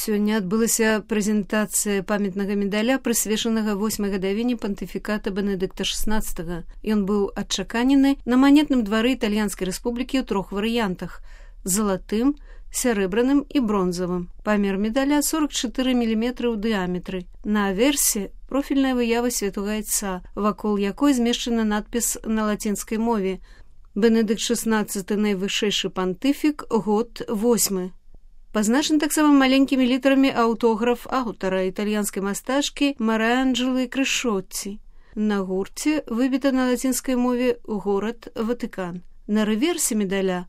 Сёння адбылася прэзентацыя памятнага медаля, прысвечанага 8-й гадавіне пантыфіката Бенедыкта XVI. Ён быў адчаканены на манетным двары Італьянскай рэспублікі ў 3 варыянтах – залатым, сярэбраным і бронзавым. Памер медаля 44 мм ў дыяметры. На аверсе профільная выява святога айца, вакол якой змешчаны надпіс на лацінскай мове. Бенедыкт XVI – найвышэйшы пантыфік, год 8. Пазначаны таксама маленькімі літарамі аўтограф аўтара, італьянскай мастачкі Марыанджэлы Крышотці. На гурце выбіта на лацінскай мове горад Ватыкан. На рэверсе медаля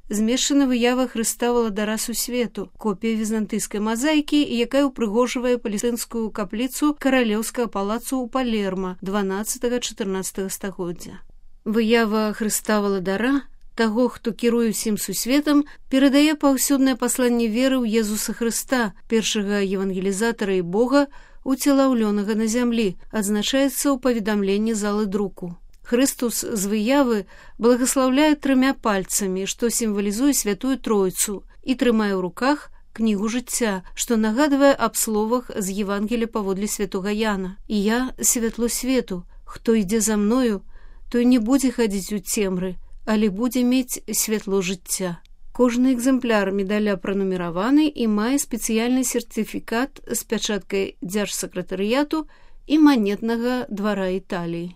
змешчана выява Хрыста валадара сусвету, копія візантыйскай мазаікі, якая ўпрыгожвае палестынскую капліцу каралеўскага палацу ў Палерма 12-14 стагоддзя. Выява Хрыста валадара, таго, хто кіруе ўсім сусветам, перадае паўсюднае пасланне веры ў Езуса Хрыста, першага евангелізатара і Бога, уцелаўлёнага на зямлі, адзначаецца ў паведамленні залы друку. Хрыстус з выявы благаслаўляе 3 пальцамі, што сімвалізуе святую Тройцу, і трымае ў руках кнігу жыцця, што нагадвае аб словах з Евангелія паводле святога Яна. «І я святло свету, хто ідзе за мною, той не будзе хадзіць у цемры, але будзе мець святло жыцця». Кожны экземпляр медаля пранумераваны і мае спецыяльны сертыфікат з пячаткай дзяржсакратарыяту і манетнага двара Італіі.